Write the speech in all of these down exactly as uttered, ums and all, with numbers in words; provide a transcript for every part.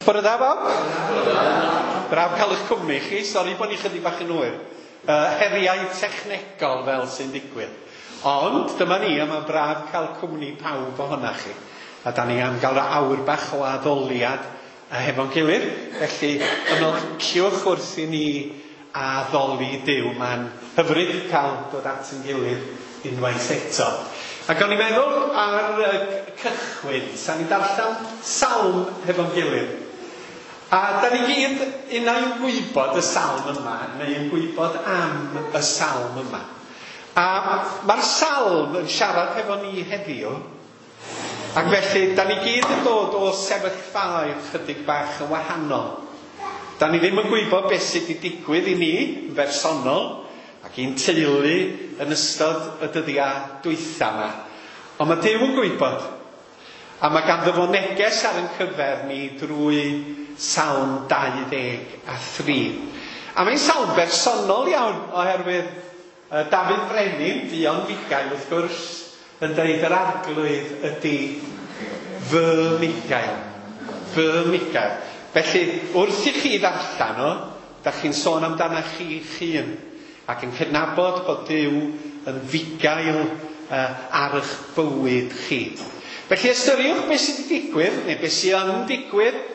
Bore da bawb? Braf cael eich cwmni chi, sori bod ni chydig bach yn hwyr. Uh, heriau technegol fel sy'n digwydd. Ond dyma ni, a mae'n braf cael cwmni pawb ohonach chi. A da ni am gael awr bach o addoliad hefo'n gilydd. Felly ymlaciwch wrth i ni addoli Duw. Mae'n hyfryd cael dod at yn gilydd unwaith eto. Ac o'n i'n meddwl ar y cychwyn, sa'n ni'n darllen salm hefo'n gilydd. A da ni gyd unai'n gwybod y salm yma, neu'n gwybod am y salm yma. A mae'r salm yn siarad hefo ni heddiw, ac felly da ni gyd yn dod o sefyllfaoedd chydig bach yn wahanol. Da ni ddim yn gwybod beth sydd wedi digwydd i ni yn bersonol ac i'n teulu yn ystod y dyddiau dwytha yma. Ond mae Duw yn gwybod. A mae ganddo fo neges ar ein cyfer ni drwy Salm dau ddeg a thri. A mae'n salm bersonol iawn oherwydd uh, Dafydd Brenin, fuon fugail wrth gwrs, yn deud yr arglwydd ydy fy mugail. Fy mugail. Felly, wrth i chi ddarllen o, da chi'n sôn amdana chi'ch hun ac yn cydnabod bod Duw yn fugail uh, ar eich bywyd chi. Felly ystyriwch beth sydd wedi digwydd, neu beth sydd yn digwydd,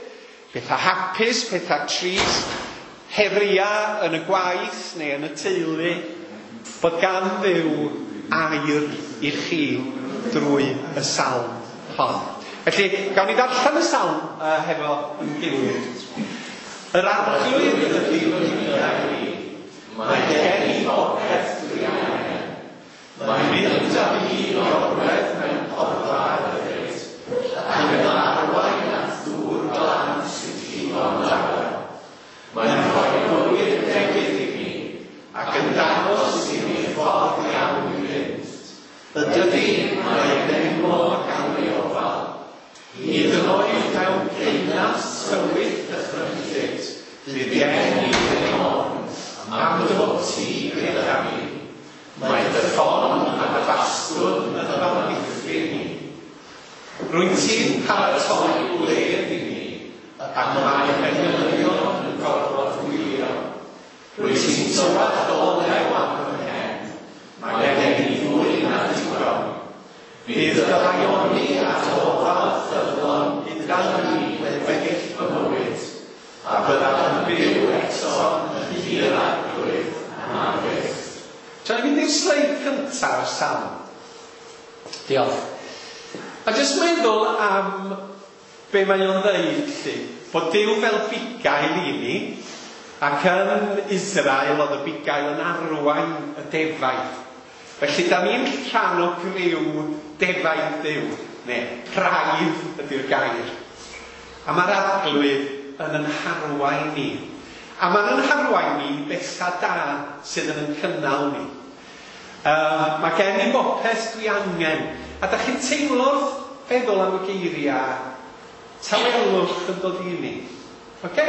pethau hapus, pethau trist, heriau yn y gwaith neu yn y teulu, bod gan Dduw air i chi drwy y salm hon. Felly, gawn ni ddarllen y salm uh, hefo yn gilydd. Yr arglwydd ydy fy mugail i, mae gen i bopeth dwi angen. Mae'n mynd â fi i orwedd mewn porfa hyfryd, ac yn arwain at ddŵr glân sy'n llifo'n dawel. Mae'n rhoi bywyd newydd i mi, ac yn dangos i mi ffordd iawn i fynd. Y dydi, mae enwog am ei ofal. Hyd yn oed mewn ceunant tywyll dychrynllyd, fydd gen i ddim ofn, am dy fod ti gyda mi. Mae dy ffon a dy fastwn yn fy amddiffyn i. Rwyt ti'n paratoi gwledd i mi, ac mae englynion yn gorfod gwylio. Rwyt ti'n tywallt olew ar fy mhen, mae gen i fwy na digon. Bydd dy haelioni a dy ofal ffyddlon gyda mi weddill fy mywyd, a byddaf yn byw eto yn nhŷ'r arglwydd am byth. Tra ni'n mynd i'r sleid cyntaf o'r salm. Diolch. A jyst meddwl am be mae o'n ddeud, lly. Bod Duw fel bugail i ni, ac yn Israel oedd y bugail yn arwain y defaid. Felly, da ni'n rhan o griw defaid Duw, neu praidd ydy'r gair. A mae'r arglwydd yn yn harwain ni. A mae'n yn harwain ni i bethau da sydd yn yn cynnal ni. Uh, mae gen i bopeth dwi angen. A da chi'n teimlo'r feddwl am y geiriau, tawelwch yn dod i ni. Oce?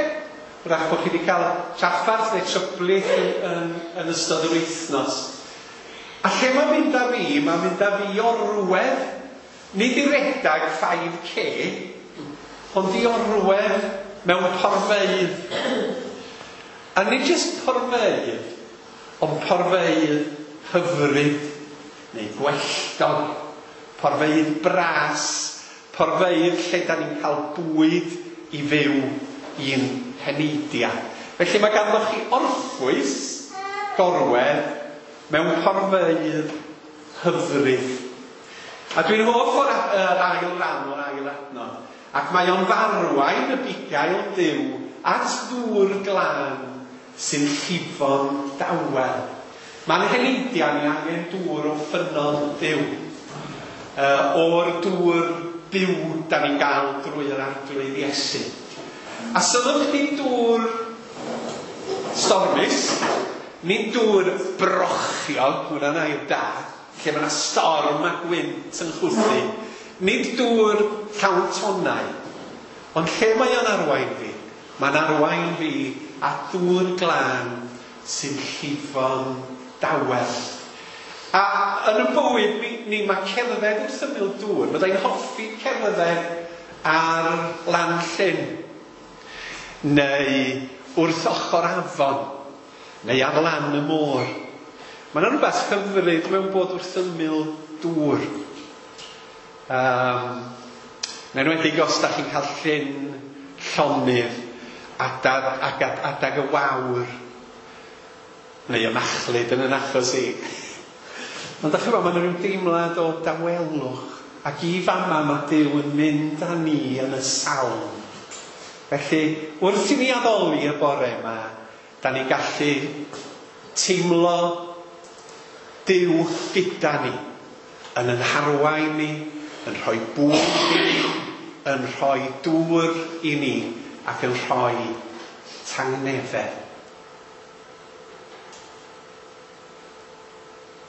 Wrach bod chi wedi cael traffarth neu tryblyg yn, yn, yn ystod yr wythnos. A lle mae'n mynd â fi? Mae'n mynd â fi i orwedd, nid i redag five K, ond i orwedd mewn porfeydd. A nid jyst porfeydd, ond porfeydd hyfryd, neu gwelltog, porfeydd bras, porfeydd lle da ni'n cael bwyd i fyw i'n heneidiau. Felly mae ganddo chi orffwys gorwedd mewn porfeydd hyfryd. A dwi'n hoff o'r yr ail ran o'r ail adnod. Ac mae o'n farwain y bugail Duw at ddŵr glân sy'n llifo'n dawel. Mae'n heneidiau ni angen dŵr o ffynnon Duw. Uh, o'r dŵr byw da ni'n gael drwy yr arglwydd Iesu. A sylwch chi dŵr stormus, nid dŵr brochiog, hwnna'n air da, lle mae yna storm a gwynt yn chwythu. Nid dŵr llawn tonnau, ond lle mae o'n arwain fi? Mae'n arwain fi at ddŵr glân sy'n llifo'n dawel. A yn y bywyd ni, ni mae cerdded wrth ymyl dŵr. Byddai'n hoffi cerdded ar lan llyn. neu wrth ochr afon, neu ar lan y môr. Mae yna rhywbeth hyfryd mewn bod wrth ymyl dŵr. Um, yn enwedig os da chi'n cael llyn llonydd adag, adag, adag y wawr, neu y machlud yn yn achos i. Ond da chi'n gwybod, mae yna rhyw deimlad o dawelwch, ac i fama mae Duw yn mynd â ni yn y salm. Felly, wrth i ni addoli y bore yma, da ni'n gallu teimlo Duw gyda ni, yn yn harwain ni, yn rhoi bwyd i ni, yn rhoi dŵr i ni, ac yn rhoi tangnefedd.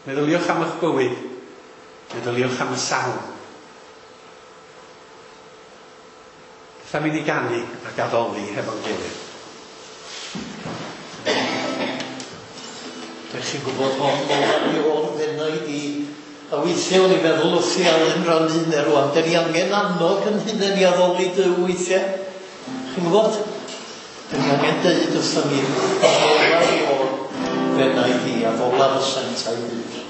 Meddyliwch am eich bywyd, meddyliwch am y salm. Beth am i ni ganu ac addoli hefo'n gilydd? Dych chi'n gwybod hon, mola i o'r fenaid i. A weithiau o'n i'n meddwl wrth i Alun rannu hynny rwan, dyn ni angen annog yn hunain i addoli Duw weithiau. Chi'n gwybod? Dyn ni angen deud wrthon ni, addolaf i o'r fenaid i, addolaf y sanctaidd byd.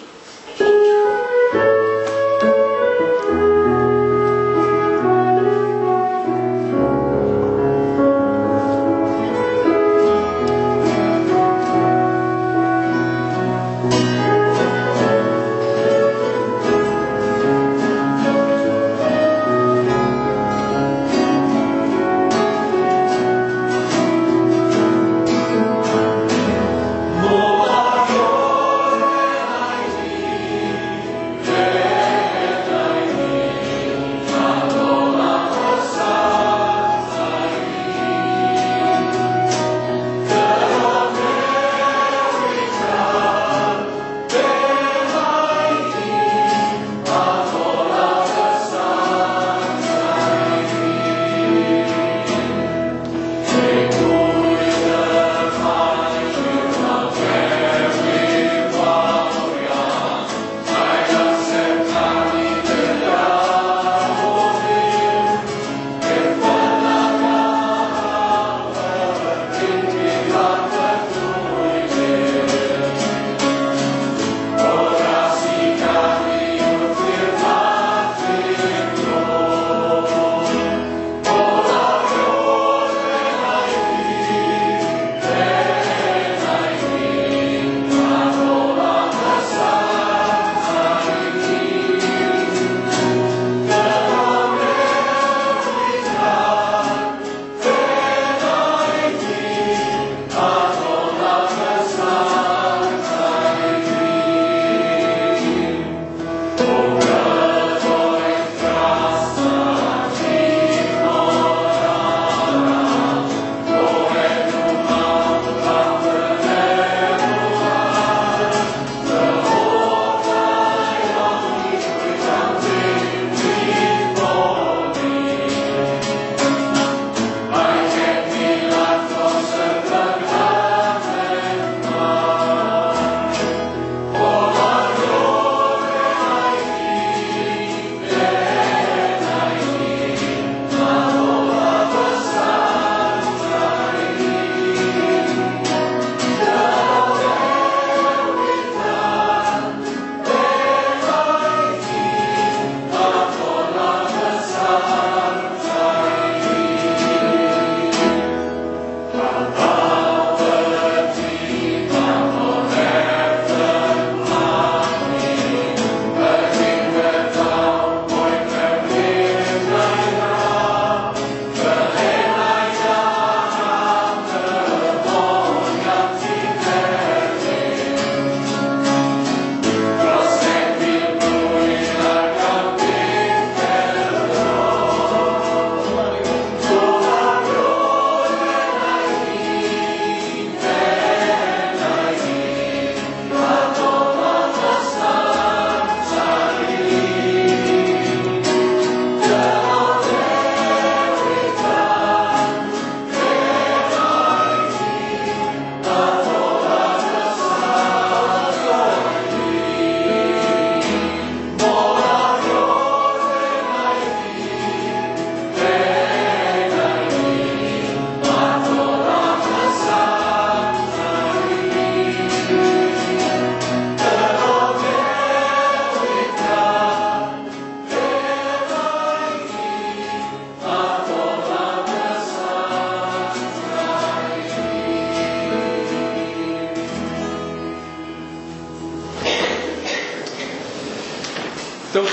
Mola i o'r fenaid i,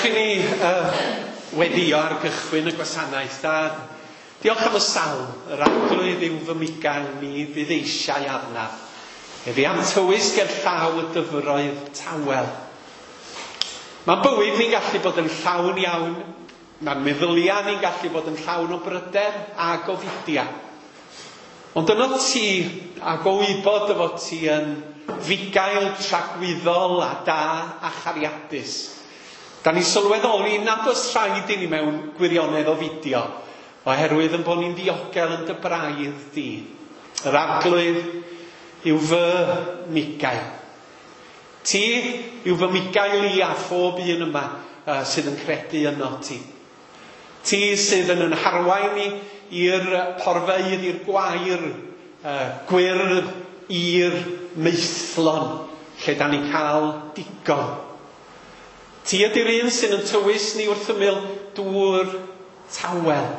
Gadewch i ni uh, weddio ar gychwyn y gwasanaeth. A diolch am y salm, yr arglwydd yw fy migael, mi fydd eisiau arnaf. Efe am tywys ger llaw y dyfroedd tawel. Mae'n bywyd ni'n gallu bod yn llawn iawn, mae'n meddyliau ni'n gallu bod yn llawn o bryder a gofidia. Ond yno ti, ac o wybod dy fod ti yn fugail tragwyddol a da a chariadus, da ni'n sylweddoli nad oes rhaid i ni mewn gwirionedd o fideo, oherwydd yn bod ni'n ddiogel yn dy braidd di. Yr arglwydd yw fy migael. Ti yw fy migael i a phob un yma uh, sydd yn credu yno ti. Ti sydd yn yn harwain ni i'r porfeydd, i'r gwair, uh, gwyrdd, i'r maethlon, lle da ni'n cael digon. Ti ydy'r un sydd yn tywys ni wrth ymyl dŵr tawel.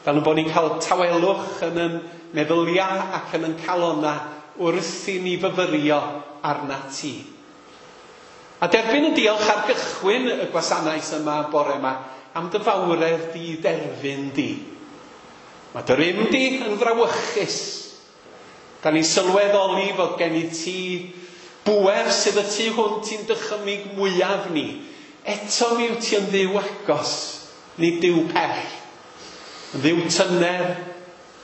Fel yn bod ni'n cael tawelwch yn yn meddyliau ac yn yn calona wrth i ni fyfyrio arna ti. A derbyn y diolch ar gychwyn y gwasanaeth yma bore yma am dy fawredd di derfyn di. Mae dy rym di yn frawychus. Da ni'n sylweddoli fod gen i ti bŵer sydd y tu hwnt i'n dychymyg mwyaf ni. Eto mi wyt ti yn ddiw agos, nid Duw pell. Yn ddiw tyner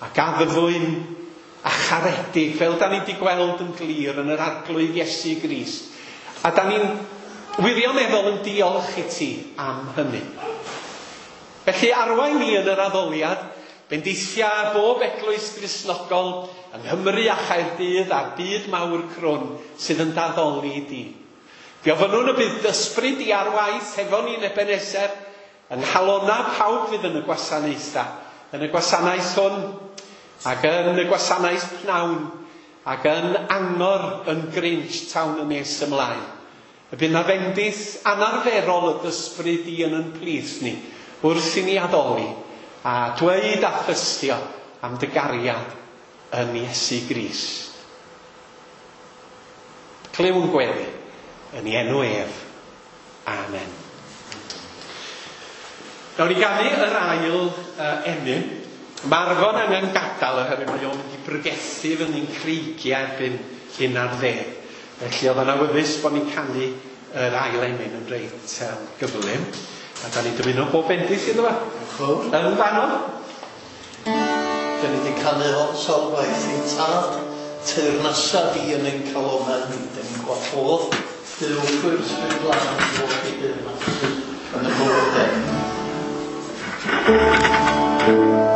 ac addfwyn a charedig, fel da ni wedi gweld yn glir yn yr arglwydd Iesu Grist. A da ni'n wirioneddol yn diolch i ti am hynny. Felly arwain ni yn yr addoliad, bendithia bob eglwys Gristnogol yng Nghymru a Chaerdydd a'r byd mawr crwn sydd yn daddoli di. Fe ofynnwn y bydd ysbryd di ar waith hefo ni'n Ebenezer, yng nghalona pawb fydd yn y gwasanaethau, yn y gwasanaeth hwn, ac yn y gwasanaeth pnawn, ac yn angor yn Grinch tawn yn nes ymlaen. Y bydd na fendith anarferol y ysbryd di yn yn plith ni, wrth i ni addoli, a dweud a thystio am dy gariad yn Iesu Grist. Clywn gweddi yn ei enw ef. Amen. Nawn ni ganu yr ail uh, emyn. Mae Arfon angen gadael oherwydd mae o'n mynd i brygethu fyny'n creigiau erbyn un ar ddeg. Felly oedd yn awyddus bod ni'n canu yr ail emyn yn reit um, gyflym. A da ni'n dymuno bob bendith iddo fo. Yn fanno. Da ni wedi canu hon sawl gwaith i tad, teyrnasa di yn ein calonau ni. Da ni'n gwahodd Duw trwy'r Ysbryd Glân i ddod i deyrnasu yn y bywydau. Thank you.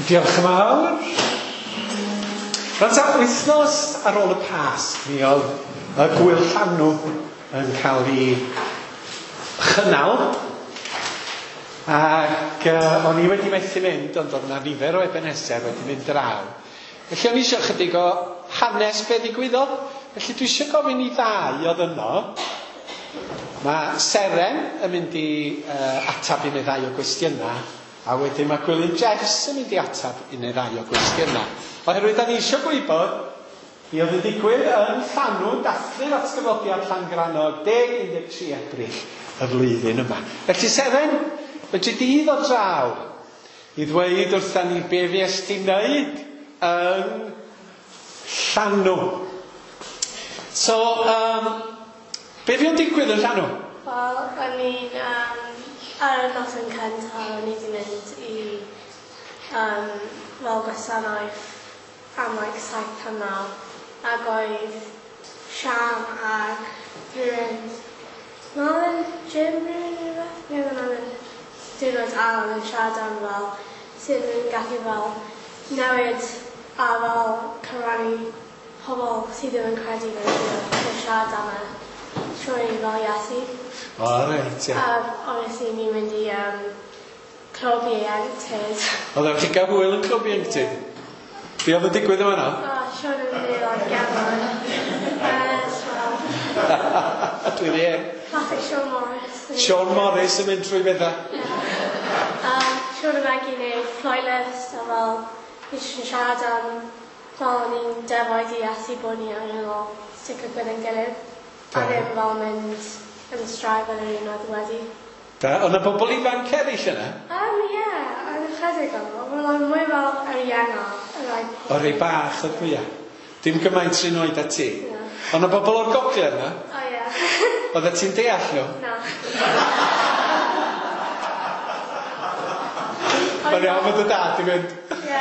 Diolch yn fawr. Rwan ta, wythnos ar ôl y Pasg, mi oedd y Gwyl Llanw yn cael ei chynnal. Ac uh, o'n i wedi methu mynd, ond oedd yna nifer o Ebenezer wedi mynd draw. Felly o'n i eisiau chydig o hanes be ddigwyddodd. Felly dwi eisiau gofyn i ddau oedd yno. Mae Seren yn mynd i uh, atab un neu ddau o gwestiynau, a wedyn mae Gwilym Jeffs yn mynd i atab un neu ddau o gwestiynau. Oherwydd da ni eisiau gwybod be oedd yn digwydd yn Llanw, dathlu'r atgyfodiad Llangrannog deg un deg tri Ebrill y flwyddyn yma. Felly Seren, fedri di ddod draw i ddweud wrtha ni be fuest ti'n wneud yn Llanw. So, um, be fu'n digwydd yn Llanw? Wel, o'n i'n, um, ar y noson cyntaf, o'n i wedi mynd i um, fel gwasanaeth am like saith tan naw, ac oedd Siam ac rhywun, Marlon, Jim, rhywun neu rhywbeth? Ie, oedd yn diwrnod Alan yn siarad am fel sut nhw'n gallu fel newid a fel cyfrannu pobl sydd ddim yn credu mewn Duw yn siarad am e trwy fel Iesu. O, reit, ie. A obviously ni'n mynd i um, clwb ieuenctid. Oeddech chi'n gael hwyl yn clwb ieuenctid? Be oedd yn digwydd yma yna? O, Siôn yn mynd i like gefn. Uh, well, Dwi ddim. Classic Siôn Morris. Siôn Morris yn mynd trwy bethau. Um, Siôn a Maggie wneud playlist a fel ni jyst yn siarad am fel o'n i'n defaid i Iesu bod ni angen fel sticio gyda'n gilydd. A ddim fel mynd yn strive yn yr un oedd wedi. Da, oedd yna bobl ifanc eraill yna? Um, ie, oedd ychydig o'n nhw. Wel, mwy fel yr ienga. O, rei bach oedd mwyaf. Dim gymaint sy'n oed â ti. Ie. Oedd yna bobl o'r gogledd yna? O, ie. Oeddet ti'n deall nhw? Na. Mae'n iawn fod y dad i fynd. Ie.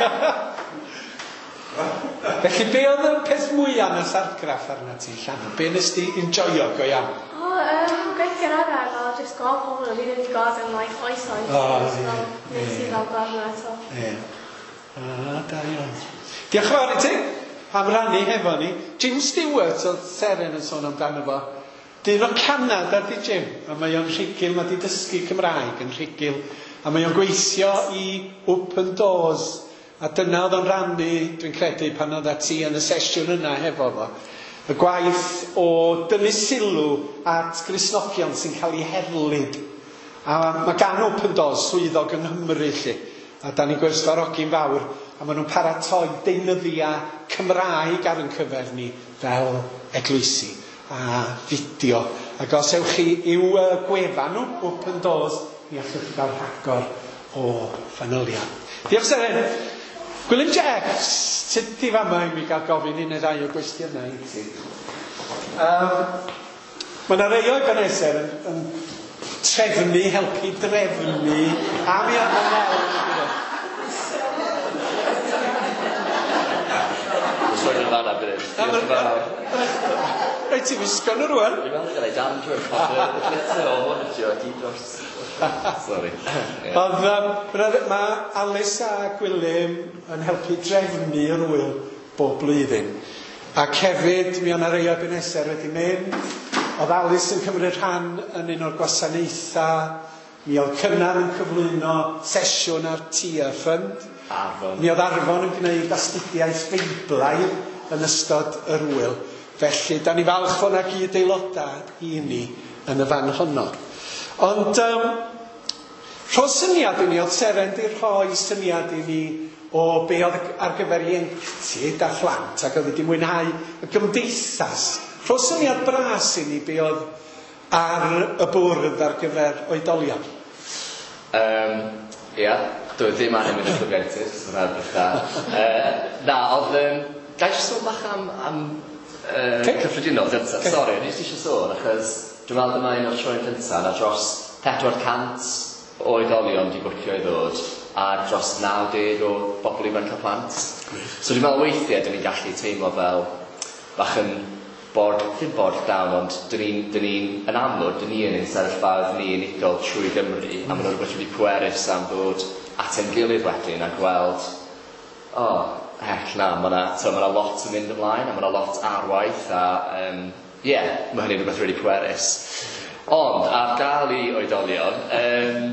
Felly, be oedd y peth mwyaf nath argraff arna ti, Llanw? Be nes di enjoio go iawn? O, um, gweithgareddau fel jyst gweld pobl o'n i ddim wedi gweld yn like oesoedd. O, Fel, ie, Nes i ie. fel gweld nhw eto. Ie. Ah, da iawn. Diolch yn fawr i ti am rannu hefo ni. Jim Stewart oedd Seren yn sôn amdano fo. Dyn o Canada di Jim, a mae o'n rhugl, mae di dysgu Cymraeg yn rhugl, a mae o'n gweithio i Open Doors, a dyna oedd o'n rannu, dwi'n credu, pan oedd ti yn y sesiwn yna hefo fo. Y gwaith o dynnu sylw at Gristnogion sy'n cael eu herlid. A mae gan Open Doors swyddog yng Nghymru, lly. A da ni'n gwerthfawrogi'n fawr, a maen nhw'n paratoi deunyddiau Cymraeg ar ein cyfer ni fel eglwysi a fideo. Ac os ewch chi i'w uh, gwefan nhw, Open Doors, mi allwch chi gael rhagor o fanylion. Diolch Seren. Gwilym Jeffs, sut di fama i mi gael gofyn un neu ddau o gwestiynau i ti? Um, mae yna rei o Ebenezer yn, yn trefnu, helpu drefnu, a mi oedd yn Nel. Sôn yn fanna, bydd. Diolch yn fawr. Rhaid ti wisgo nhw rwan. Dwi'n meddwl gael ei dan drwy'r potter. Y glitter o hwn ydi o, gyd dros... Sorry. Ie. Oedd, um, mae Alice a Gwilym yn helpu drefnu yr wyl bob blwyddyn. Ac hefyd, mi o'na rei o Ebenezer wedi mynd. Oedd Alice yn cymryd rhan yn un o'r gwasanaethau. Mi oedd Cynan yn cyflwyno sesiwn ar Tia Fund. Arfon. Mi oedd Arfon yn gwneud astudiaeth Feiblaidd yn ystod yr wyl. Felly, da ni falch fod yna gyd aelodau i ni yn y fan honno. Ond, um, rho syniad i ni, oedd Seren di rhoi syniad i ni o be oedd ar gyfer ieuenctid a phlant, ac oedd wedi mwynhau y gymdeithas. Rho syniad bras i ni be oedd ar y bwrdd ar gyfer oedolion. Um, ia, dwi ddim angen mynd i'r clwb ieuenctid, so hwnna'n beth. Uh, na, oedd... Um, Ga i jyst sôn bach am, am uh, Ocê. cyffredinol gyntaf? Ocê. Sori, o'n i jyst eisiau sôn, achos dwi'n meddwl dyma un o'r troion cyntaf, na dros pedwar cant o oedolion di bwcio i ddod, a dros naw deg o bobl ifanc a plant. So dwi'n meddwl weithiau, dyn ni'n gallu teimlo fel bach yn bored, ddim bored down, ond dyn ni'n, dyn ni'n, yn amlwg, dyn ni yn ein sefyllfaoedd ni unigol trwy Gymru, a maen nhw'n rhywbeth really pwerus am ddod at ein gilydd wedyn a gweld oh, heck na, mae yna ma lot yn mynd ymlaen, a mae yna lot ar waith, a um, yeah, mae hynny'n rhywbeth really pwerus. Ond, ar gael i oedolion, um,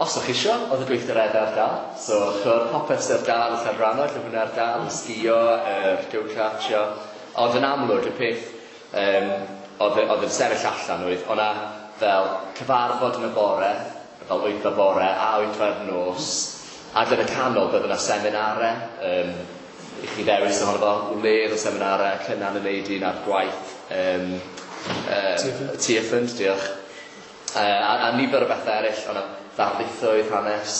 os o'ch isio, oedd y gweithgareddau ar gael. So, chwr popeth sydd ar gael y Llangrannog, lle hwnna ar gael, y sgio, yr go-kartio. Ond yn amlwg, y peth um, oedd, oedd yn sefyll allan oedd, o'na fel cyfarfod yn y bore, fel wyth o'r bore a wyth o'r nos, ac yn y canol bydd yna seminarau, um, i chi ddewis ohono fo, wledd o seminarau, Cynan yn neud un ar gwaith, um, uh, Tearfund, diolch. Uh, a, a nifer o bethau eraill, o'na ddarlithoedd hanes,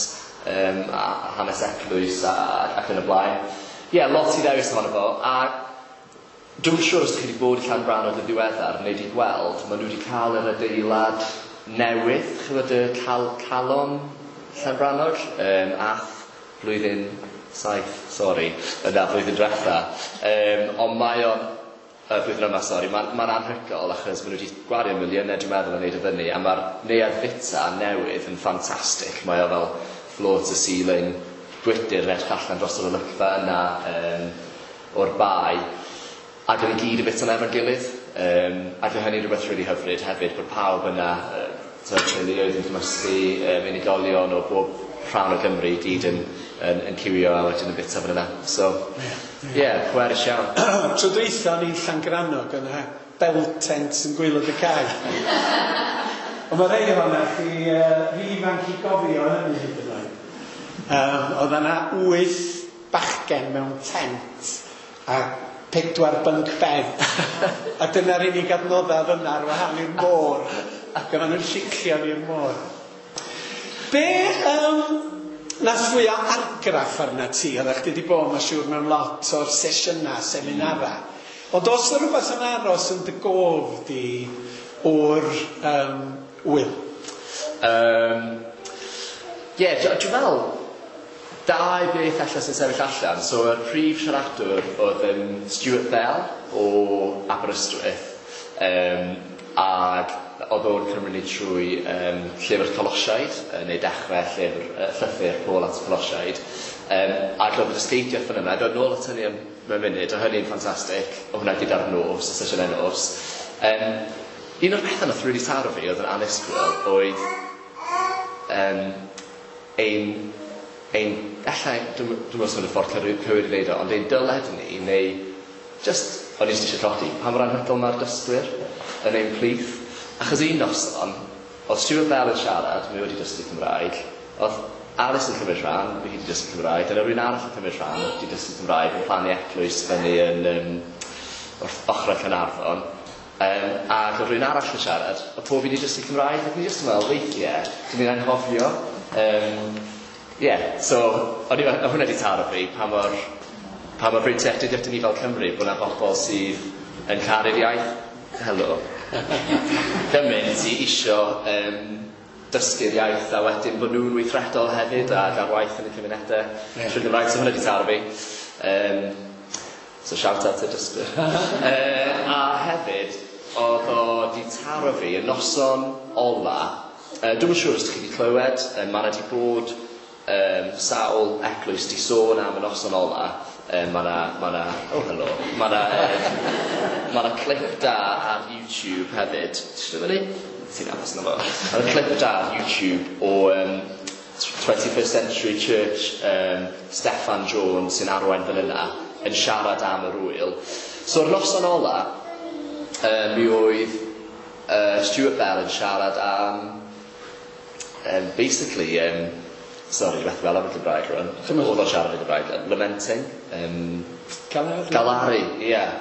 um, a hanes eglwys a, ac yn y blaen. Ie, yeah, lot i ddewis ohono fo, a dwi'n siŵr os ydych chi wedi bod i Llangrannog yn ddiweddar neu wedi gweld, maen nhw wedi cael yr adeilad newydd, chymod y cal calon Llangrannog, um, ath blwyddyn saith, sori, yna blwyddyn diwetha. Um, ond mae o'n, y blwyddyn yma, sori, mae'n ma anhygoel achos maen nhw wedi gwario miliynau, dwi'n meddwl, yn neud y fyny, a mae'r neuadd fita newydd yn ffantastig. Mae o fel floor to ceiling, gwydyr yn edrych allan dros yr olygfa yna um, o'r bae. Ac yn i gyd y bit yna efo'n gilydd. Um, ac oedd hynny'n rhywbeth really hyfryd hefyd, bod pawb yna, uh, teuluoedd yn cymysgu, um, unigolion o bob rhan o Gymru i gyd yn, yn, yn ciwio a wedyn yn bita fan yna. So, ie, yeah, pwerus iawn. Tro dwytha o'n i'n Llangrannog yna, bell tent yn gwaelod y cae. Ond mae rhai ohonoch chi uh, rhy ifanc i gofio hynny hyd yn oed. Um, oedd yna wyth bachgen mewn tent a pedwar bunk bed. A dyna'r unig adnoddau yna ar wahan i'r môr. Ac oedden nhw'n lliclio i'r môr. Be um, nath fwyaf argraff arna ti? Oeddech chdi wedi bod, mae'n siŵr, mewn lot o'r sesiynau, seminarau. Ond oes 'na rhywbeth yn aros yn dy gof di o'r um, wyl? Um, Ie, yeah, dwi'n meddwl, dau beth allan sy'n sefyll allan. So, y prif siaradwr oedd um, Stuart Bell o Aberystwyth. Um, ac oedd o'n cymryd ni trwy um, llyfr Colosiaid, neu dechrau llyfr, uh, llythyr Paul at y Colosiaid. Um, ac oedd y dysgeidiaeth fan yna, dod nôl at hynny am mewn munud, o hynny'n ffantastig, o hwnna gyda'r nos, y sesiynau nos. Um, un o'r pethau nath really taro fi oedd yn annisgwyl oedd um, ein, ein, ella, dwi'n meddwl os y ffordd cywir i ddeud o, ond ein dyled ni, neu just, o'n i jyst eisiau codi, pa mor anhygoel mae'r dysgwyr yn ein plith. Achos un noson, oedd Stuart Bell yn siarad, mae wedi dysgu Cymraeg, oedd Alice yn cymryd rhan, mae hi wedi dysgu Cymraeg, dyna rhywun arall yn cymryd rhan, wedi dysgu Cymraeg, yn plannu eglwys fyny yn um, wrth ochrau Caernarfon. Um, ac oedd rhywun arall yn siarad, oedd pob un wedi dysgu Cymraeg, ac ni jyst yn meddwl, weithiau, dyn ni'n anghofio. Um, yeah, so, o'n i, oedd hwnna wedi taro fi, pa mor, pa mor breintiedig ydyn ni fel Cymru, bod yna bobl sydd yn caru'r iaith. Helo. Gymaint i isio um, dysgu'r iaith a wedyn bod nhw'n weithredol hefyd a ar waith yn y cymunedau. Yeah. Trwy Gymraeg, so hwnna wedi taro fi. Um, so shout out to dysgwyr. uh, a hefyd, oedd o di taro fi y noson ola. Uh, dwi'm yn siŵr os ydych chi wedi clywed, uh, mae yna di bod um, sawl eglwys di sôn am y noson ola. Um, mae yna, ma na, oh hello, mae yna um, ma na clip da ar YouTube hefyd. Ti'n fyny? Ti'n aros na fo. Mae yna clip da ar YouTube o um, twenty-first Century Church, um, Steffan Jones sy'n arwain fan yna, yn siarad am yr wyl. So'r noson ola, um, mi oedd uh, Stuart Bell yn siarad am, um, basically, um, sorry, beth fel am y Gymraeg rwan. Oedd o'n siarad y Gymraeg, lamenting. Um, Galaru. Galaru, ie. Yeah.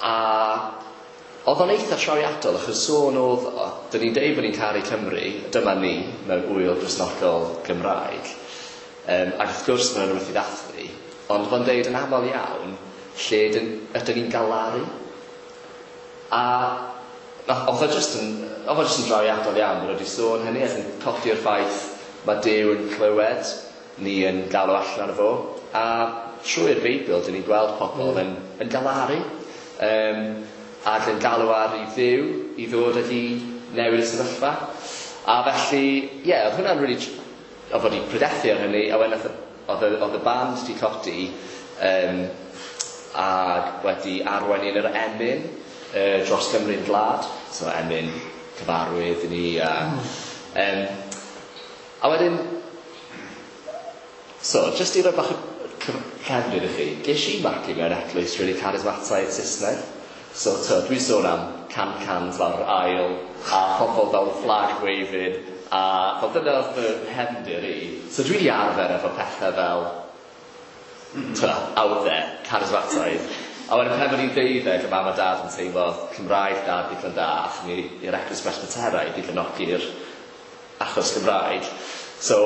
A oedd o'n eitha trawiadol, achos sôn oedd o, dyn ni'n deud bod ni'n caru Cymru, dyma ni, mewn wyl Gristnogol Gymraeg. Um, ac wrth gwrs mae'n rhywbeth i ddathlu, ond oedd o'n deud yn aml iawn, lle dyn, ydyn ni'n galaru. A oedd o just yn, oedd o just yn drawiadol iawn, bod wedi sôn hynny, ac yn codi'r ffaith mae Duw yn clywed ni yn galw allan arno fo. A trwy'r Beibl, dyn ni'n gweld pobl mm. yn, yn galaru. Um, ac yn galw ar i Dduw i ddod ag i newid y sefyllfa. A felly, ie, yeah, oedd hwnna'n really, oedd wedi pryderu ar hynny, a wedyn nath y Oedd y, oedd y band di codi um, ac wedi arwain un yr emyn uh, dros Gymru'n gwlad. So emyn cyfarwydd i ni. A, um, a wedyn, so, just i roi bach o cefndir i chi, ges i magu mewn eglwys really charismataidd Saesneg. So, to, dwi'n sôn am can cans lawr yr aisle, a pobl fel flag waving, a fel dyna oedd fy nghefndir i. So dwi wedi arfer efo pethau fel, to, out there, charismataidd. A wedyn pan o'n i'n ddeuddeg, y mam a dad yn teimlo Cymraeg dad ddigon da, athon ni i'r eglwys Presbyteraidd i gefnogi'r achos Cymraeg. So,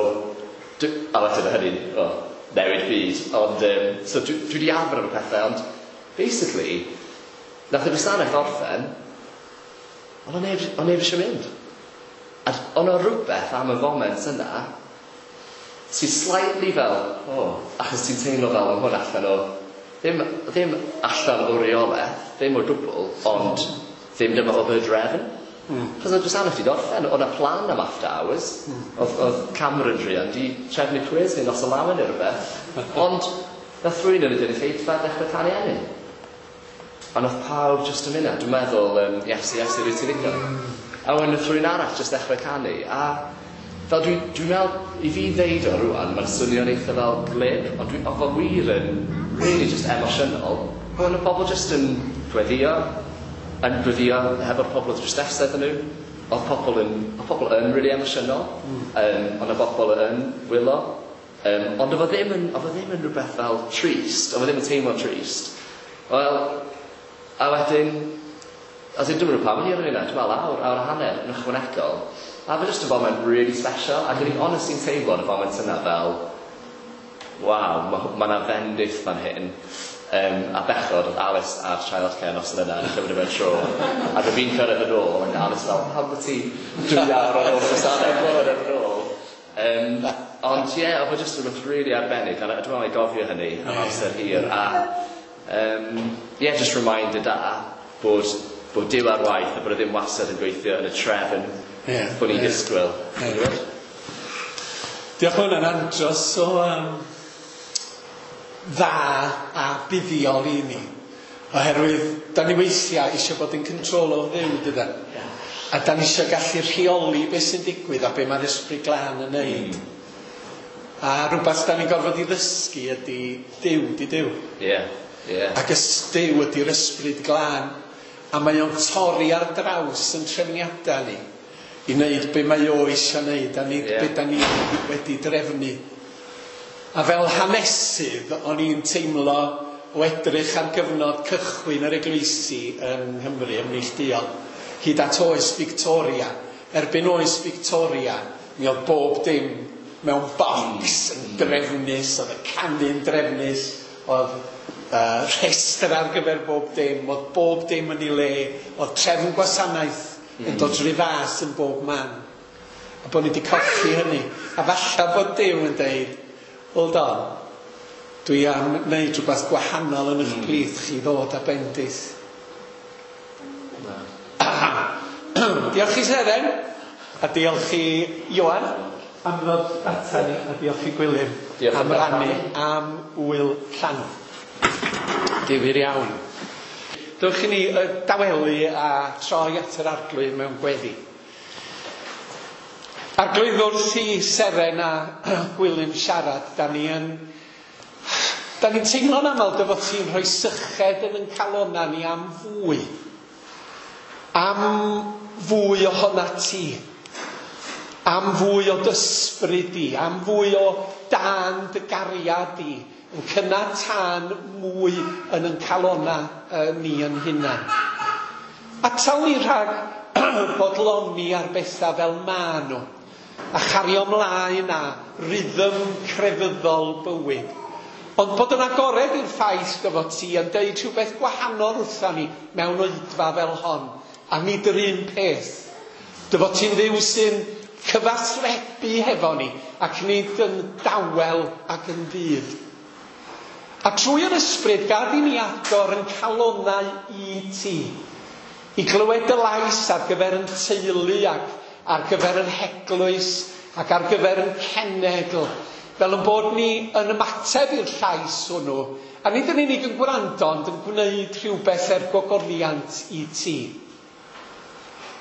dwi, a wedyn o hynny'n, oh, newid byd. Ond, um, so dwi, dwi wedi arfer efo pethau, ond basically, nath y gwasanaeth orffen, ond o'n neb, o'n neb eisiau mynd. A o'n o rhywbeth am y foment yna, sy'n slightly fel, oh, achos ti'n teimlo fel am hwn allan o, ddim, ddim allan o reolaeth, ddim o gwbl, ond ddim dyma o y drefn. Mm. Chos oedd gwasanaeth wedi gorffen, oedd 'na plan am after hours. Mm. Oedd, oedd Cameron druan di trefnu quiz neu noson lawen neu rhywbeth. Ond nath rhywun yn y gynulleidfa ddechrau canu emyn. A nath pawb just yn mynd, dwi'n meddwl, um, Iesu, Iesu, rwyt ti'n ddigon. A wedyn nath rhywun arall just ddechrau canu. A fel dwi'n dwi meddwl, i fi ddeud o rwan, mae'n swnio'n eitha fel glib, ond dwi, oedd o wir yn really just emosiynol. Ond y bobl just yn gweddio, yn gweddio hefo'r pobl oedd drws nesaf iddyn nhw. Oedd pobl yn, oedd pobl yn really emosiynol, mm. um, ond y bobl yn wylo. Um, ond oedd o ddim yn, oedd o ddim yn rhywbeth fel trist, oedd o ddim yn teimlo trist. Wel, a wedyn, as in, dwi'n meddwl pam o'n i ar hynna, dwi'n meddwl awr, awr a hanner yn ychwanegol. A fe just yn foment really special, ac o'n i'n honestly'n teimlo yn y foment yna fel, waw, mae ma 'na fendith fan hyn. Um, a bechod, oedd Alice ar childcare noson yna yn cymryd mewn tro. A dwi fi'n cyrraedd yn ôl, ac Alice fel, pam bod ti dwy awr ar ôl gwasanaeth mlynedd yn ôl? Um, ond ie, yeah, oedd o just rhywbeth really arbennig, a dwi'n meddwl i gofio hynny am amser hir. A um, yeah, just reminder da bod, bod Duw ar waith a bod o ddim wastad yn gweithio yn y trefn yeah, bod ni'n yeah. disgwyl. Yeah. Diolch, ma' hwnna'n andros o um, dda a buddiol i ni. Oherwydd, da ni weithiau eisiau bod yn control o Dduw, dydan? A da ni eisiau gallu rheoli beth sy'n digwydd a be mae'r Ysbryd Glân yn neud. Mm. A rhywbeth da ni'n gorfod i ddysgu ydy Duw, di Duw. Ie, ie. Ac ys Duw ydy'r Ysbryd Glân. A mae o'n torri ar draws yn trefniadau ni i wneud be mae o eisiau wneud a nid Ie. be da ni wedi drefnu. A fel hanesydd, o'n i'n teimlo o edrych ar gyfnod cychwyn yr eglwysi yng Nghymru ymneilltuol, hyd at oes Victoria. Erbyn oes Victoria, mi oedd bob dim mewn bocs yn drefnus, oedd y canu'n drefnus, oedd uh, rhestr ar gyfer bob dim, oedd bob dim yn ei le, oedd trefn gwasanaeth yn dod rhy fas yn bob man. A bod ni wedi colli hynny. A falla bod Duw yn deud, hold on, dwi am wneud rhywbeth gwahanol yn eich plith chi ddod â bendith. Diolch i Seren, a diolch i Ioan am ddod ata ni, a diolch i Gwilym Diolch am am rannu am wyl llanw. Difyr iawn. Dewch i ni yy, dawelu a troi at yr Arglwydd mewn gweddi. Arglwydd, wrth i Seren a Gwilym siarad, da ni yn... Da ni'n teimlo'n aml dy fod ti'n rhoi syched yn yn calonna ni am fwy. Am fwy ohona ti. Am fwy o d'ysbryd di. Am fwy o dan dy gariad di. Yn cynnau tân mwy yn yn calonna uh, ni yn hunan. Atal ni rhag bodloni ar bethau fel ma nhw. A chario ymlaen â rhythm crefyddol bywyd. Ond bod yn agored i'r ffaith dy fod ti yn deud rhywbeth gwahanol wrtha ni mewn oedfa fel hon, a nid yr un peth. Dy fod ti'n Dduw sy'n cyfathrebu hefo ni, ac nid yn dawel ac yn ddydd. A trwy yr ysbryd, gad i ni agor yn calonnau i ti, i glywed dy lais ar gyfer yn teulu ac ar gyfer yn heglwys ac ar gyfer yn cenedl, Fel yn bod ni yn ymateb i'r llais hwnnw, a nid yn unig yn gwrando, ond yn gwneud rhywbeth er gogoniant i ti.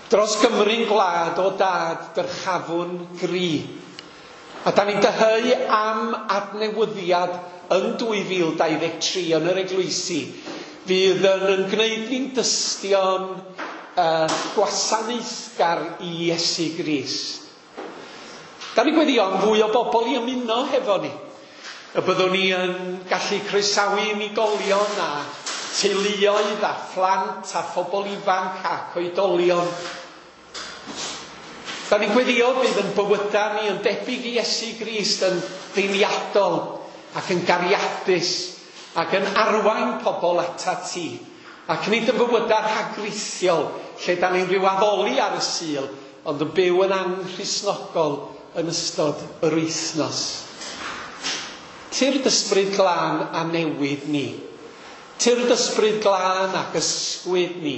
Dros Gymru'n gwlad o dad dyrchafwn gri. A da ni'n dyheu am adnewyddiad yn dwy fil dau ddeg tri yn yr eglwysi, fydd yn, yn gwneud ni'n dystion uh, gwasanaethgar i Iesu Grist. Da ni'n gweddio am fwy o bobl i ymuno hefo ni. Y byddwn ni yn gallu croesawu unigolion a teuluoedd a phlant a phobl ifanc ac oedolion. Da ni'n gweddio bydd yn bywydau ni yn debyg i Iesu Grist, yn ddeiliadol ac yn gariadus ac yn arwain pobl atat ti. Ac nid yn bywydau rhagrithiol lle da ni'n rhyw addoli ar y Sul, ond yn byw yn anghristnogol yn ystod yr wythnos. Tyrd ysbryd glân a newid ni. Tyrd ysbryd glân ac ysgwyd ni.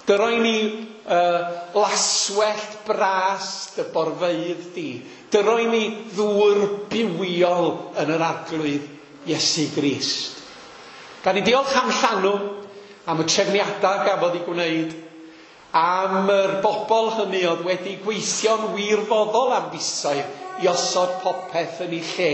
Dyroi ni uh, laswellt bras dy borfeydd di. Dyroi ni ddŵr bywiol yn yr Arglwydd Iesu Grist. Gan i diolch am llanw, am y trefniadau gafodd ei gwneud, am yr bobl hynny oedd wedi gweithio'n wirfoddol am fisoedd i osod popeth yn ei lle.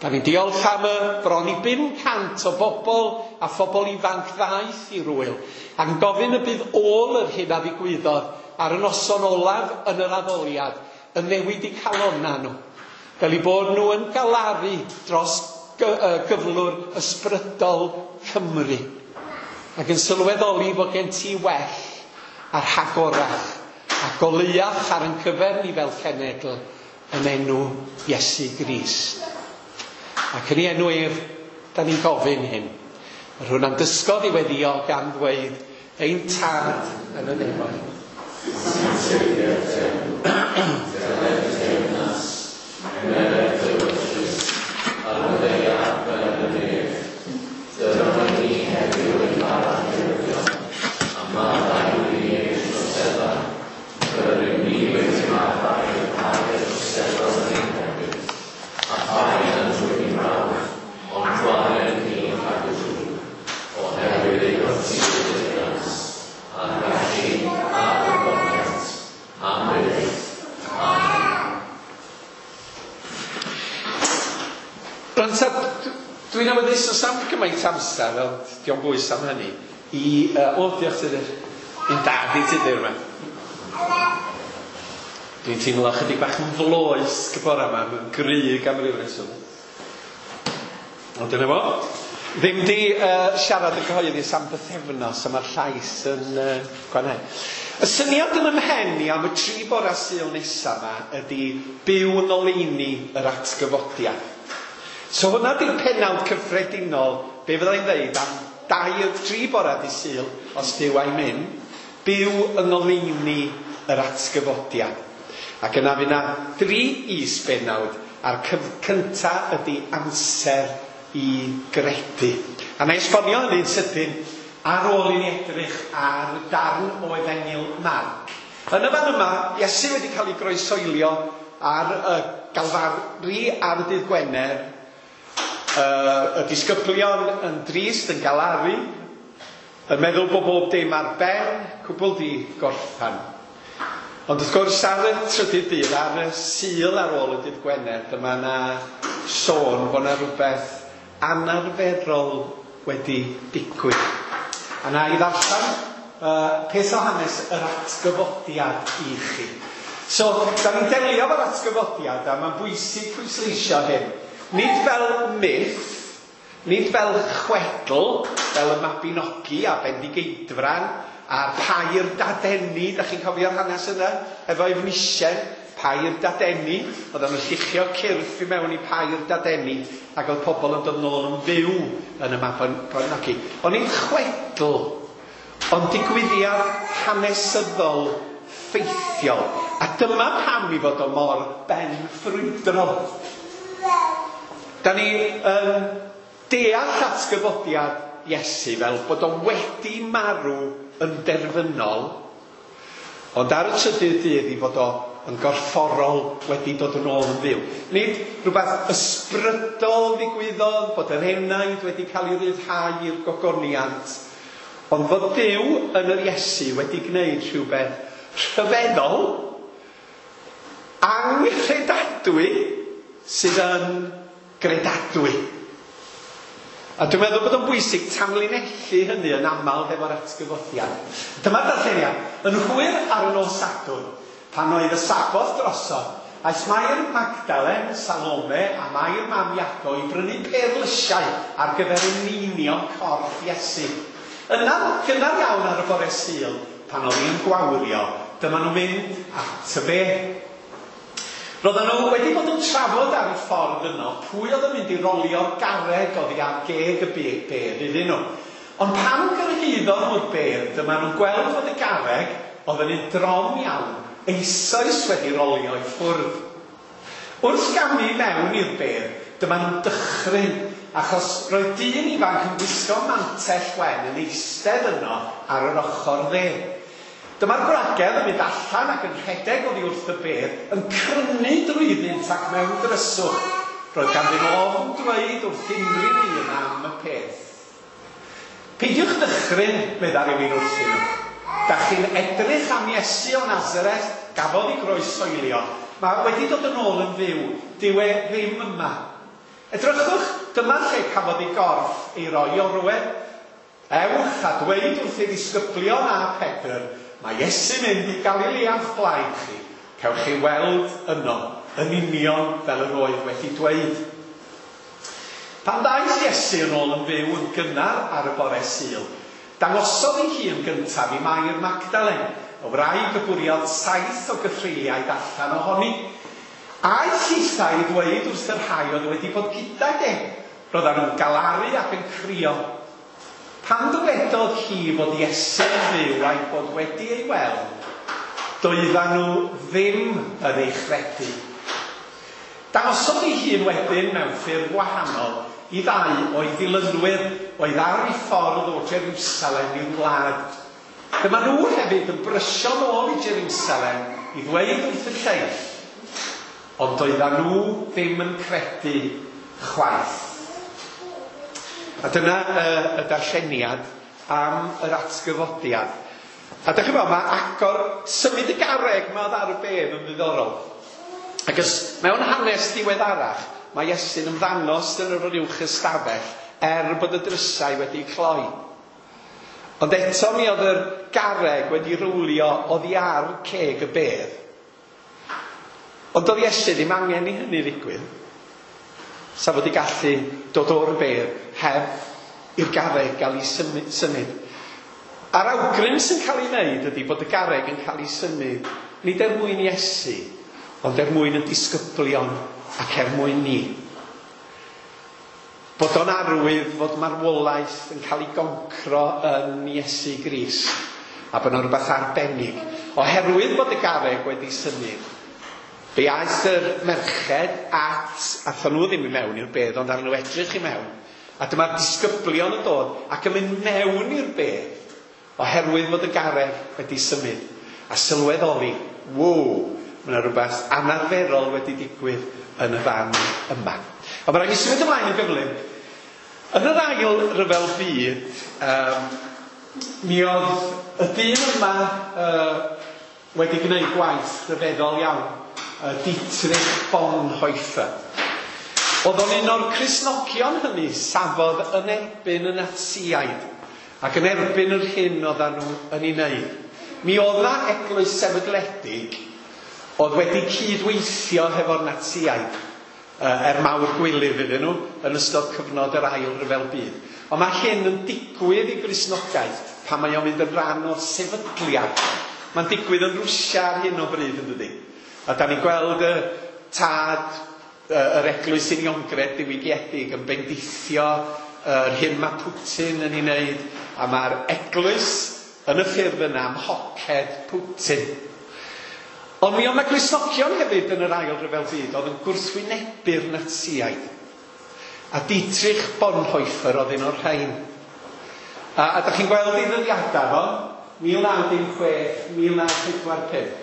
Da ni'n diolch am y bron i bum cant o bobl a phobl ifanc ddaeth i'r wyl, ac yn gofyn y bydd ôl yr hyn a ddigwyddodd ar y noson olaf yn yr addoliad yn newid eu calonnau nhw, fel eu bod nhw yn galaru dros gyflwr ysbrydol Cymru, ac yn sylweddoli fod gen ti well a rhagorach a goleuach ar ein cyfer ni fel cenedl yn enw Iesu Grist. Ac yn ei enw ef, da ni'n gofyn hyn. Yr hwn a'n dysgodd i weddio gan ddweud, ein tad yn y nefoedd. Dwi'n awyddus os am gymaint amser, ond dio'n bwys am hynny, i... Uh, o, diolch Tudur. Un dad i Tudur yma. Dwi'n teimlo chydig bach yn floesg y bore yma, mae'n gryg am ryw reswm. Ond dyna fo. Ddim di uh, siarad yn gyhoeddus am bythefnos, a mae'r llais yn uh, gwanhau. Y syniad yn ymhen i am y tri bora Sul nesaf yma ydy byw yn oleuni yr atgyfodiad. So hwnna di'r pennawd cyffredinol, be fyddai'n dweud am dau tri bora di Sul, os Duw a'i mynd, byw yng ngoleuni yr atgyfodiad. Ac yna fydd yna dri is-bennawd, a'r cynta ydy amser i gredu. A na i esbonio hynny'n sydyn ar ôl i ni edrych ar darn o Efengyl Marc. Yn y fan yma, Iesu wedi cael ei groesoelio ar y Galfari ar y dydd Gwener. Uh, y disgyblion yn drist, yn galaru, yn meddwl bod bob dim ar ben, cwbl di gorffan. Ond wrth gwrs ar y trydydd dydd, ar y Sul ar ôl y dydd Gwener, dyma yna sôn bod yna rhywbeth anarferol wedi digwydd. A na i ddarllen uh, peth o hanes yr atgyfodiad i chi. So, da ni'n delio efo'r atgyfodiad, a mae'n bwysig pwysleisio hyn. Nid fel myth, nid fel chwedl, fel y Mabinogi a Bendigeidfran, a'r pair dadeni, da chi'n cofio'r hanes yna, efo Efnisien, pair dadeni, oedden nhw'n lluchio cyrff i mewn i pair dadeni, ac oedd pobl yn dod nôl yn fyw yn y Mabinogi. Ond nid chwedl, ond digwyddiad hanesyddol ffeithiol. A dyma pam i fod o mor benffrwydrol. Da ni yn deall atgyfodiad Iesu fel bod o wedi marw yn derfynol, ond ar y trydydd dydd i fod o yn gorfforol wedi dod yn ôl yn fyw. Nid rhywbeth ysbrydol ddigwyddodd, bod yr enaid wedi cael ei ryddhau i'r gogoniant, ond fod Duw yn yr Iesu wedi gwneud rhywbeth rhyfeddol, anghredadwy, sydd yn gredadwy. A dwi'n meddwl bod o'n bwysig tanlinellu hynny yn aml hefo'r atgyfodiad. Dyma'r darlleniad. Yn hwyr ar y nos Sadwrn, pan oedd y Saboth drosodd, aeth Mair Magdalen, Salome a Mair mam Iago i brynu perlysiau ar gyfer eneinio corff Iesu. Yna, gynnar iawn ar y bore Sul, pan oedd hi'n gwawrio, dyma nhw'n mynd at y bedd. Roedden nhw wedi bod yn trafod ar y ffordd yno pwy oedd yn mynd i rolio'r garreg oddi ar geg y bedd iddyn nhw. Ond pan gyrhaeddon nhw'r bedd, dyma nhw'n gweld fod y garreg oedd yn un drom iawn, eisoes wedi rolio i ffwrdd. Wrth gamu mewn i'r bedd, dyma nhw'n dychryn, achos roedd dyn ifanc yn gwisgo mantell wen yn eistedd yno ar yr ochr dde. Dyma'r gwragedd yn mynd allan ac yn rhedeg oddi wrth y bedd, yn crynu drwyddynt ac mewn dryswch. Roedd ganddyn nhw ofn dweud wrth unrhyw un am y peth. Peidiwch ddychryn, medda rhywun wrthyn nhw. Da chi'n edrych am Iesu o Nazareth, gafodd ei groesoelio. Mae wedi dod yn ôl yn fyw, dyw e ddim yma. Edrychwch, dyma lle cafodd ei gorff ei roi o rywle. Ewch a dweud wrth ei ddisgyblion a Pedr, mae Iesu'n mynd i Galilea o'ch blaen chi. Cewch chi weld yno, yn union fel yr oedd wedi dweud. Pan ddaeth Iesu yn ôl yn fyw yn gynnar ar y bore Sul, dangosodd ei hun gyntaf i Mair Magdalen, y wraig y bwriodd saith o gythreuliaid allan ohoni. Aeth hithau i ddweud wrth y rhai oedd wedi bod gydag e. Roedden nhw'n galaru ac yn crio. Pan dywedodd hi fod Iesu'n fyw a'i bod wedi ei weld, doedden nhw ddim yn ei chredu. Dangosodd ei hun wedyn mewn ffurf wahanol i ddau o'i ddilynwyr oedd ar ei ffordd o Jerusalem i'r wlad. Dyma nhw hefyd yn brysio nôl i Jerusalem i ddweud wrth y lleill, ond doedden nhw ddim yn credu chwaith. A dyna uh, y darlleniad am yr atgyfodiad. A dych chi'n gwybod, mae agor symud y garreg mae ar y bedd yn ddiddorol. Ac os mewn hanes diweddarach, mae Iesu'n ymddangos yn yr uwch ystafell er bod y drysau wedi cloi. Ond eto mi oedd yr garreg wedi rwlio oddi ar ceg y bedd. Ond doedd Iesu ddim angen i hynny ddigwydd. Sa fod i gallu dod o'r bedd heb i'r garreg gael ei symud. symud. A'r awgrym sy'n cael ei wneud ydy bod y garreg yn cael ei symud nid er mwyn Iesu, ond er mwyn y disgyblion ac er mwyn ni. Bod o'n arwydd fod marwolaeth yn cael ei goncro yn Iesu Grist, a bod o'n rhywbeth arbennig. Oherwydd bod y garreg wedi symud, fe aeth yr merched at, athon nhw ddim i mewn i'r bedd, ond arnyn nhw edrych i mewn. A dyma'r disgyblion yn dod ac yn mynd mewn i'r bedd, oherwydd fod y garreg wedi symud. A sylweddoli, wow, mae yna rhywbeth anarferol wedi digwydd yn y fan yma. Ond mae rhaid i symud ymlaen yn gyflym. Yn yr ail ryfel byd, um, mi oedd y dyn yma uh, wedi gwneud gwaith rhyfeddol iawn, uh, Dietrich Bonhoeffer. Oedd o'n un o'r Cristnogion hynny safodd yn erbyn y Natsïaid ac yn erbyn yr hyn oedden nhw yn ei wneud. Mi oedd 'na eglwys sefydledig oedd wedi cydweithio hefo'r Natsïaid, er mawr gwilydd iddyn nhw yn ystod cyfnod yr ail ryfel byd. Ond mae hyn yn digwydd i Gristnogaeth pan mae o'n mynd yn rhan o'r sefydliad. Mae'n digwydd yn Rwsia ar hyn o bryd, yn dydi? A da ni'n gweld y tad yr eglwys uniongred diwygiedig yn bendithio yr hyn mae Putin yn ei wneud, a mae'r eglwys yn y ffurf yna am hoced Putin. Ond mi oedd 'na Gristnogion hefyd yn yr ail ryfel byd oedd yn gwrthwynebu'r Natsïaid. A Dietrich Bonhoeffer oedd un o'r rhain. A, a da chi'n gweld ei ddyddiadau fo, mil naw dim chwech, mil naw pedwar pump.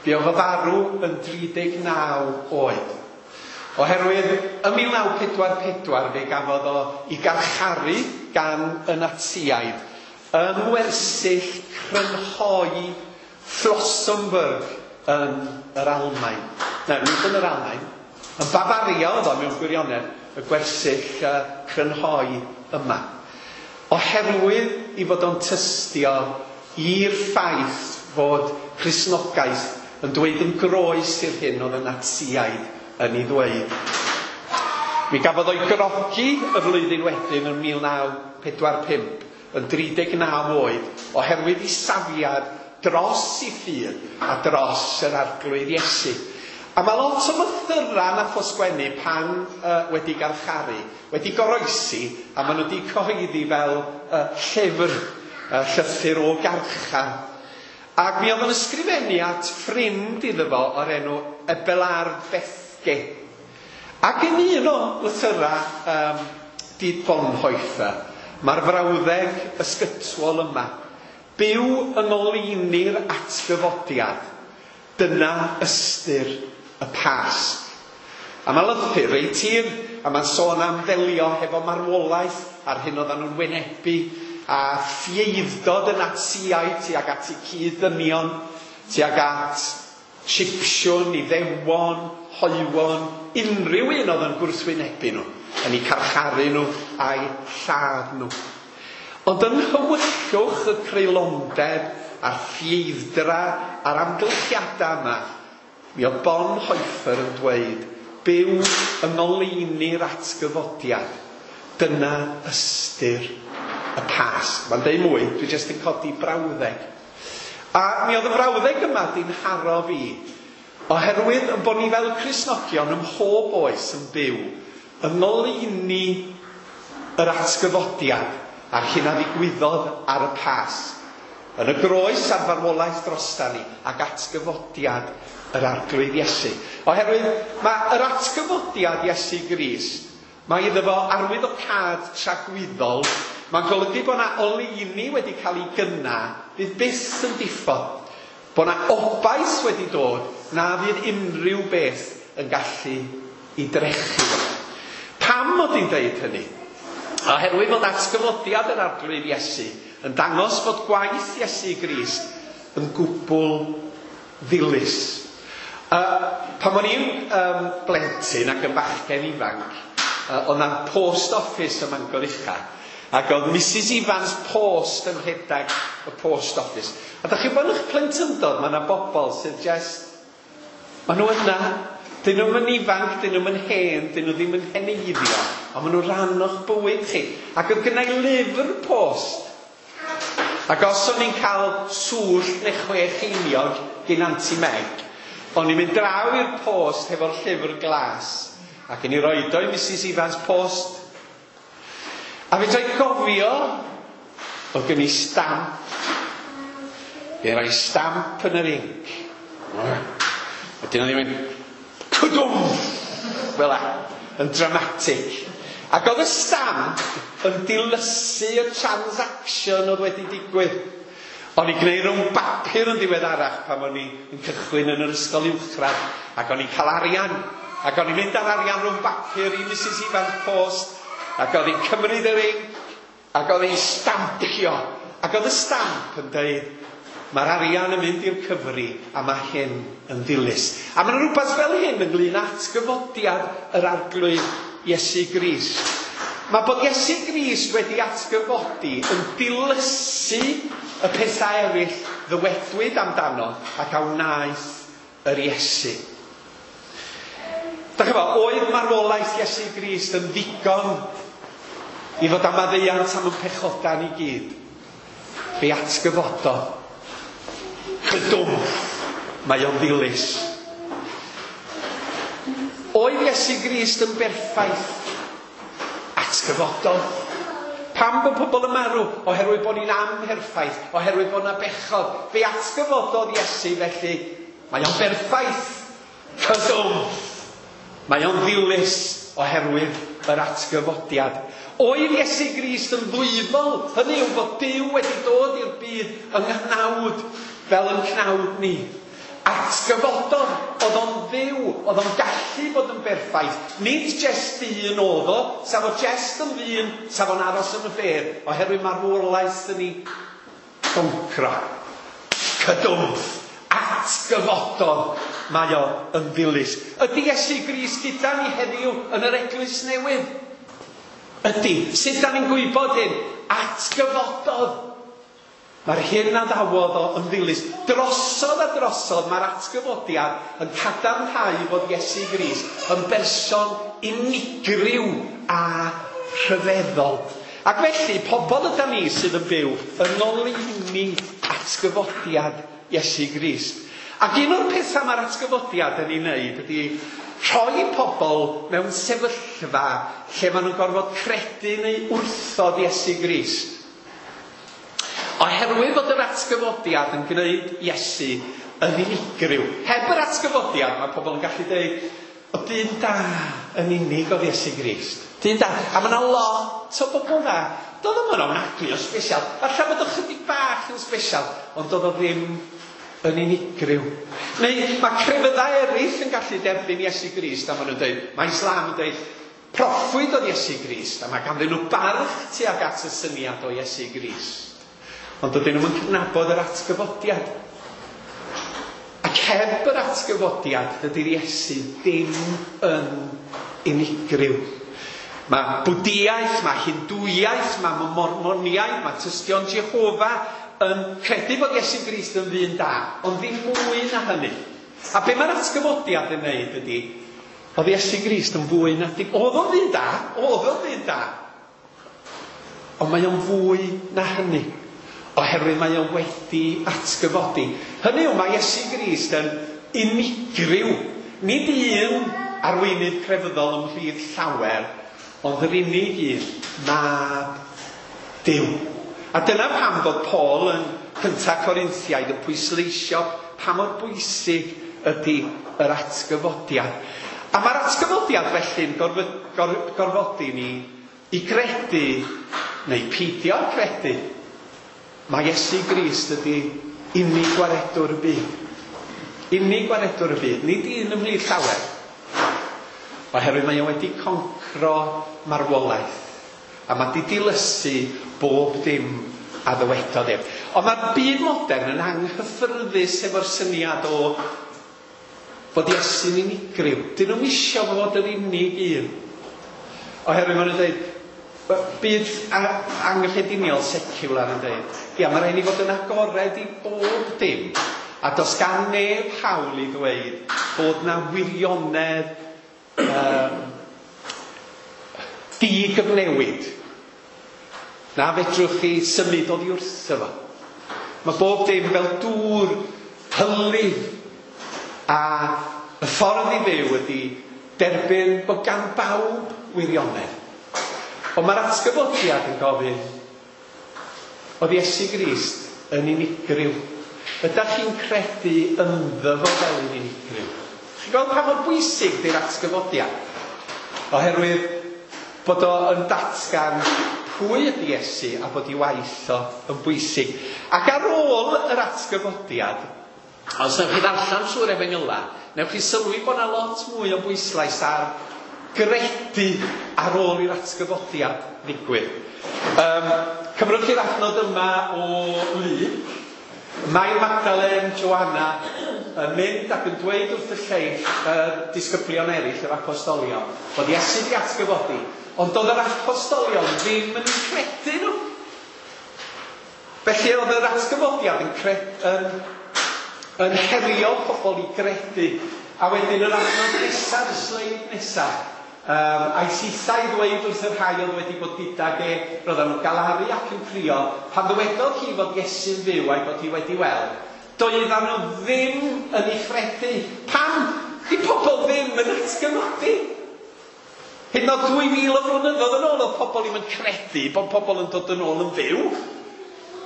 Fuodd o farw yn dri deg naw oed. Oherwydd ym mil naw pedwar pedwar fe gafodd o i garcharu gan y Natsiaid yng ngwersyll crynhoi Flossenburg yn yr Almaen. Na, nid yn yr Almaen. Yn Bafaria oedd o mewn gwirionedd, y gwersyll uh, crynhoi yma. Oherwydd i fod o'n tystio i'r ffaith fod Cristnogaeth yn dweud yn groes i'r hyn oedd y Natsiaid yn ei ddweud. Mi gafodd o'i grogi y flwyddyn wedyn yn mil naw pedwar pump, yn dri deg naw oed, oherwydd ei safiad dros ei ffydd a dros yr Arglwydd Iesu. A mae lot o lythyrau nath o sgwennu pan uh, wedi garcharu, wedi goroesi, a maen nhw wedi cyhoeddi fel uh, llyfr, uh, llythyr o garchar. Ac mi oedd yn ysgrifennu at ffrind iddo fo o'r enw Abelard Bethge. Ac yn un o lythyrau um, Dietrich Bonhoeffer, mae'r frawddeg ysgytwol yma: byw yng ngoleuni'r atgyfodiad, dyna ystyr y Pasg. A mae lythyr reit hir, a mae'n sôn am ddelio hefo marwolaeth a'r hyn oedden nhw'n wynebu, a ffieiddod y Natsiaid tuag at eu cyd-ddynion, tuag at Sipsiwn, Iddewon, hoywon, unrhyw un oedd yn gwrthwynebu nhw, yn eu carcharu nhw a'u lladd nhw. Ond yn nhywyllwch y creulondeb a'r ffieiddra a'r amgylchiadau yma, mi oedd Bonhoeffer yn dweud, byw yng ngoleuni'r atgyfodiad, dyna ystyr y Pasg. Mae'n deud mwy, dwi jyst yn codi brawddeg. A mi oedd y frawddeg yma di'n haro fi, oherwydd yn bod ni fel Cristnogion ym mhob oes yn byw yng ngoleuni yr atgyfodiad a'r hyn a ddigwyddodd ar y Pasg. Yn y groes a'r farwolaeth drosta ni ac atgyfodiad yr Arglwydd Iesu. Oherwydd mae yr atgyfodiad Iesu Grist, mae iddo fo arwyddocâd tragwyddol. Mae'n golygu bod yna oleuni wedi cael ei gynna, fydd byth yn diffodd. Bod yna obaith wedi dod na fydd unrhyw beth yn gallu ei drechu. Pam mod i'n deud hynny? Oherwydd fod atgyfodiad yr Arglwydd Iesu yn dangos fod gwaith Iesu Grist yn gwbl ddilys. Uh, pan o'n i'n um, blentyn ac yn bachgen ifanc, uh, oedd na'n post office ym Mangor Ucha, ac oedd Missus Evans Post yn rhedeg y post office. A da chi'n bod yn eich plentyndod, mae yna bobl sydd just, maen nhw yna, dyn nhw'm yn ifanc, dyn nhw'm yn hen, dyn nhw ddim yn heneiddio, ond maen nhw rhan o'ch bywyd chi. Ac oedd gynna i lyfr post. Ac os o'n i'n cael swllt neu chwe cheiniog gyn Anti Meg, o'n i'n mynd draw i'r post hefo'r llyfr glas, ac yn i roed o i Missus Evans Post. A fe droi gofio, oedd gen i stamp. Fe roi stamp yn yr inc. Wedyn o'n i'n mynd, cwdwm! Fel a, yn dramatic. Ac oedd y stamp yn dilysu y transaction oedd wedi digwydd. O'n i'n gwneud rhwng bapur yn ddiweddarach pan o'n i'n cychwyn yn yr ysgol uwchradd, ac o'n i'n cael arian. Ac o'n i'n mynd ar arian rhwng bapur i Missus Evans Post, ac oedd hi'n cymryd yr inc, ac oedd hi'n stampio. Ac oedd y stamp yn dweud, mae'r arian yn mynd i'r cyfri, a mae hyn yn ddilys. A mae'n rhywbeth fel hyn ynglyn â atgyfodiad yr Arglwydd Iesu Grist. Mae bod Iesu Grist wedi atgyfodi yn dilysu y pethau eraill ddywedwyd amdano ac a wnaeth yr Iesu. Dach chi'n gwbod, oedd marwolaeth Iesu Grist yn ddigon i fod am maddeuant am y pechodau ni gyd? Fe atgyfododd. Cydwm, mae o'n ddilys. Oedd Iesu Grist yn berffaith? Atgyfododd. Pam bod pobl yn marw? Oherwydd bod ni'n amherffaith, oherwydd bod yna bechod. Fe atgyfododd Iesu, felly mae o'n berffaith. Cydwm, mae o'n ddilys oherwydd yr atgyfodiad. Oedd Iesu Grist yn ddwyfol? Hynny yw bod Duw wedi dod i'r byd yng nghnawd fel yn cnawd ni. Atgyfododd, oedd o'n fyw, oedd o'n gallu bod yn berffaith. Nid jest dyn oedd o, sa fo jest yn ddyn, sa fo'n aros yn y bedd, oherwydd marwolaeth yn ei goncro. Cydwmff, atgyfododd, mae o yn ddilys. Ydy Iesu Grist gyda ni heddiw yn yr eglwys newydd? Ydy. Sut da ni'n gwybod hyn? Atgyfododd. Mae'r hyn a ddawodd o yn ddilys. Drosodd a drosodd mae'r atgyfodiad yn cadarnhau fod Iesu Grist yn berson unigryw a rhyfeddol. Ac felly, pobl yda ni sydd yn byw yn ngoleuni atgyfodiad Iesu Grist. Ac un o'r pethau mae'r atgyfodiad yn ei wneud ydy rhoi pobl mewn sefyllfa lle maen nhw'n gorfod credu neu wrthod Iesu Grist. Oherwydd fod yr atgyfodiad yn gwneud Iesu yn unigryw. Heb yr atgyfodiad, mae pobl yn gallu dweud, o dyn da yn unig oedd Iesu Grist. Dyn da. A mae yna lot o bobl dda. Doedd o'm yn ofnadwy o special. Falle bod o chydig bach yn special, ond doedd o ddim yn unigryw. Neu mae crefyddau eraill yn gallu derbyn Iesu Grist, a maen nhw'n dweud, mae Islam yn dweud, proffwyd oedd Iesu Grist, a mae ganddyn nhw barch tuag at y syniad o Iesu Grist. Ond dydyn nhw'n cydnabod yr atgyfodiad. Ac heb yr atgyfodiad, dydy'r Iesu ddim yn unigryw. Mae Bwdiaeth, mae Hindwiaeth, mae Mormoniaeth, mae Tystion Jehofa yn credu bod Iesu Grist yn ddyn da, ond ddim mwy na hynny. A be mae'r atgyfodiad yn wneud ydy, oedd Iesu Grist yn fwy na dim. Oedd o'n ddyn da, oedd o'n ddyn da. Ond mae o'n fwy na hynny. Oherwydd mae o wedi atgyfodi. Hynny yw, mae Iesu Grist yn unigryw. Nid un arweinydd crefyddol ymhlith llawer, ond yr unig un, mab Duw. A dyna pam fod Paul yn cynta Corinthiaid yn pwysleisio pa mor bwysig ydy yr atgyfodiad. A mae'r atgyfodiad felly'n gorfod, gor, gorfodi ni i gredu, neu peidio â credu, mae Iesu Grist ydy unig gwaredwr y byd. Unig gwaredwr y byd, nid un ymhlith llawer. Oherwydd mae o wedi concro marwolaeth. A mae di dilysu bob dim a ddywedodd ef. Ond mae'r byd modern yn anghyffyrddus efo'r syniad o fod Iesu'n unigryw. Dyn nhw'm isio fod yr unig un. Oherwydd maen nhw'n dweud, byd anghyffrediniol secular yn dweud, ia, mae rhaid ni fod yn agored i bob dim. A does gan neb hawl i ddweud bod na wirionedd um, digyfnewid. Na fedrwch chi symud oddi wrtho fo. Mae bob dim fel dŵr hylif. A y ffordd i fyw ydy derbyn bod gan bawb wirionedd. Ond mae'r atgyfodiad yn gofyn, oedd Iesu Grist yn unigryw. Ydych chi'n credu ynddo fo fel un unigryw? Chi'n gweld pa mor bwysig di'r atgyfodiad? Oherwydd bod o yn datgan pwy ydy Iesu a bod ei waith o yn bwysig. Ac ar ôl yr atgyfodiad, os newch chi ddarllen trwy'r Efengyla, newch chi sylwi bod yna lot mwy o bwyslais ar gredu ar ôl i'r atgyfodiad ddigwydd. Um, cymrwch chi'r adnod yma o Luc. Mae Magdalen, Joanna yn mynd ac yn dweud wrth y lleill, y disgyblion eraill, yr apostolion, bod Iesu wedi atgyfodi, ond doedd yr apostolion ddim yn eu credu nhw. Felly oedd yr atgyfodiad yn, cred, yn, yn herio pobl i gredu. A wedyn yr adnod nesaf, y sleid nesaf, um, a'i sithau i ddweud wrth y rhai oedd wedi bod gydag e, roedden nhw'n galaru ac yn crio, pan ddywedodd hi fod Iesu'n fyw a'i bod hi wedi weld, doedden nhw ddim yn ei chredu. Pam? Di pobl ddim yn atgyfodi. Hyd yn oed dwy fil o flynyddoedd yn ôl oedd pobl ddim yn credu bod pobl yn dod yn ôl yn fyw.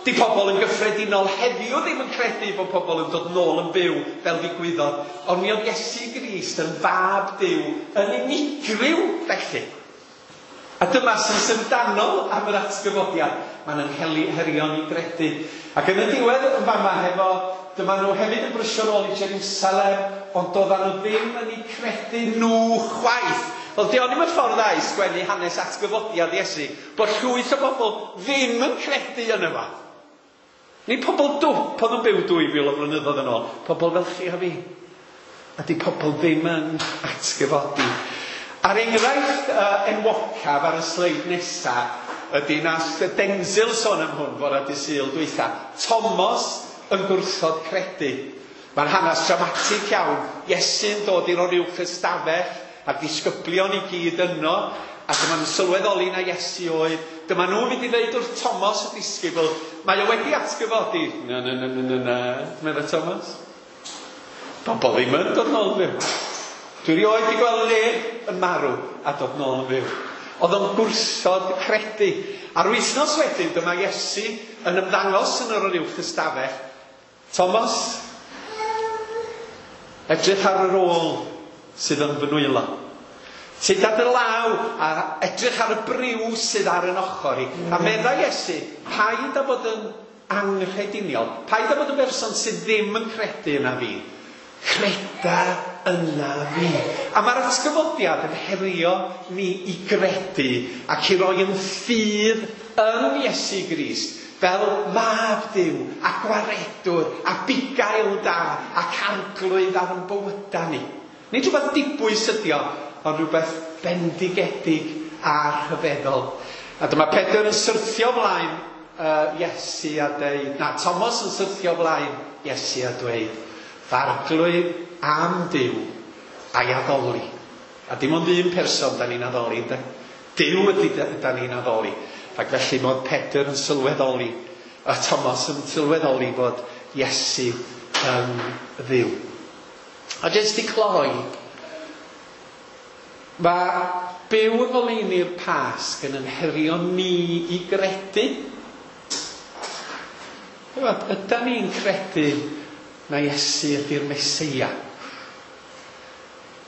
Di pobl yn gyffredinol heddiw ddim yn credu bod pobl yn dod nôl yn byw fel ddigwyddodd. Ond mi oedd Iesu Grist yn fab Duw yn unigryw felly. A dyma sy'n syfrdanol am yr atgyfodiad. Mae'n yn herio ni gredu. Ac yn y diwedd yn fama hefo Dyma nhw hefyd yn brysio nôl i Jerusalem, ond doedden nhw ddim yn eu credu nhw chwaith. Wel, di o'n i'm y ffordd dda i sgwennu hanes atgyfodiad Iesu, bod llwyth o bobl ddim yn credu yn yma. Nid pobl dwp oedd yn byw dwy fil o flynyddoedd yn ôl, pobl fel chi a fi. A di pobl ddim yn atgyfodi. A'r enghraifft uh, enwocaf ar y sleid nesaf ydy nath Denzil sôn am hwn fore dydd Sul dwytha. Thomas yn gwrthod credu. Mae'n hanes dramatig iawn. Iesu'n dod i'r oruwch ystafell a'r disgyblion i gyd yno, a dyma nhw'n sylweddoli na Iesu oedd. Dyma nhw'n mynd i ddeud wrth Thomas y disgybl, mae o wedi atgyfodi. Na, na, na, na, na, na, meddai Thomas. Pobl ddim yn dod nôl yn fyw. Dwi erioed wedi gweld neb yn marw a dod nôl yn fyw. Oedd o'n gwrthod credu. A'r wythnos wedyn, dyma Iesu yn ymddangos yn yr oruwch ystafell. Thomas, edrych ar yr ôl sydd yn fy nwylo. Tyd ar dy law a edrych ar y briw sydd ar yn ochr i. A meddai Iesu, paid â bod yn anghrediniol, paid â bod yn berson sydd ddim yn credu yna fi. Creda yna fi. A mae'r atgyfodiad yn herio ni i gredu ac i roi yn ffydd yn Iesu Grist fel mab Duw a gwaredwr a bugail da ac arglwydd ar ein bywydau ni. Nid rhywbeth dibwys ydi o, ond rhywbeth bendigedig a rhyfeddol. A dyma Pedr yn syrthio flaen uh, Iesu a dweud, na, Thomas yn syrthio flaen Iesu a dweud, f'arglwydd am Duw a'i addoli. A dim ond un person da ni'n addoli, ynde? Duw ydy da ni'n addoli. Ac felly mod Pedr yn sylweddoli, a Thomas yn sylweddoli fod Iesu yn Dduw. A jyst i cloi, mae byw yng ngoleuni'r Pasg yn ynherio ni i gredu. Ydan ni'n credu na Iesu ydy'r Meseia?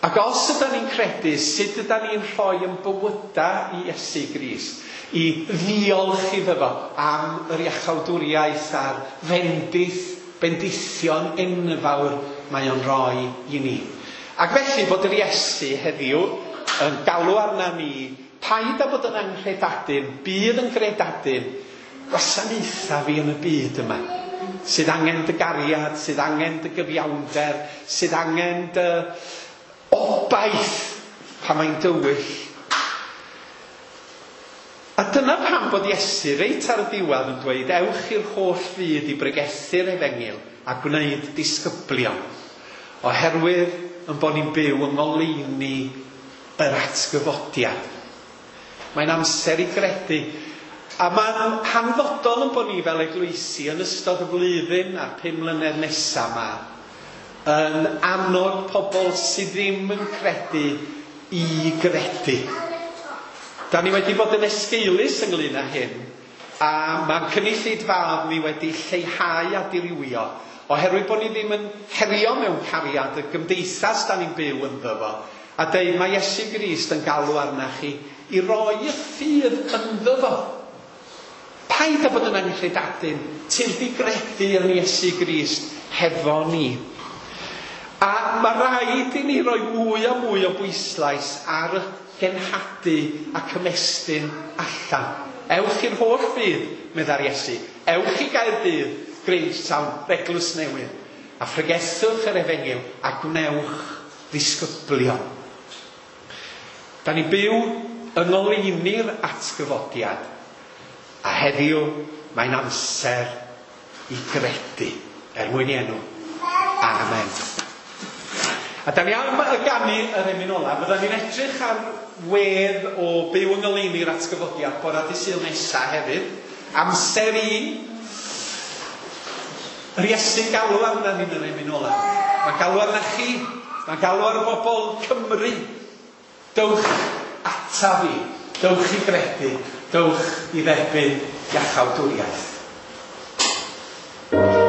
Ac os ydan ni'n credu, sut ydan ni'n rhoi yn bywyda i Iesu Grist, i ddiolch iddo fo am yr iachawdwriaeth a'r fendith, bendithion enfawr mae o'n rhoi i ni. Ac felly bod yr Iesu heddiw yn galw arna ni, paid â bod yn anghredadun, bydd yn gredadun, gwasanaetha fi yn y byd yma, sydd angen dy gariad, sydd angen dy gyfiawnder, sydd angen dy obaith pan mae'n dywyll. A dyna pam bod Iesu reit ar y diwedd yn dweud, ewch i'r holl fyd i bregethu'r efengyl a gwneud disgyblion, oherwydd yn bod ni'n byw yng ngoleuni yr atgyfodiad. Mae'n amser i gredu. A mae'n hanfodol yn bod ni fel eglwysi yn ystod y flwyddyn a'r pum mlynedd nesaf yma yn annog pobl sydd ddim yn credu i gredu. Da ni wedi bod yn esgeulus ynglyn â hyn, a mae'n cynulleidfaoedd ni wedi lleihau a dirywio, oherwydd bod ni ddim yn herio mewn cariad y gymdeithas da ni'n byw ynddo fo, a deud mae Iesu Grist yn galw arna chi i roi y ffydd ynddo fo. Paid â bod yn anghredadun, tyrd i gredu yn Iesu Grist hefo ni. A mae rhaid i ni roi mwy a mwy o bwyslais ar y genhadu ac ymestyn allan. Ewch i'r holl fyd, meddai'r Iesu. Ewch i Gaerdydd, Grangetown, Eglwys Newydd, a phregethwch yr efengyl a gwnewch ddisgyblion. Da ni byw yng ngoleuni'r atgyfodiad, a heddiw mae'n amser i gredu, er mwyn i enw. Amen. A da ni am y ganu yr emyn ola, fydda ni'n edrych ar wedd o byw yng ngoleuni'r atgyfodiad bore dydd Sul nesa hefyd. Amser i yr Iesu'n galw arna ni'n yr emyn ola. Mae'n galw arna chi, mae'n galw ar bobl Cymru. Dewch ata fi, dewch i gredu, dewch i dderbyn iachawdwriaeth. Thank you.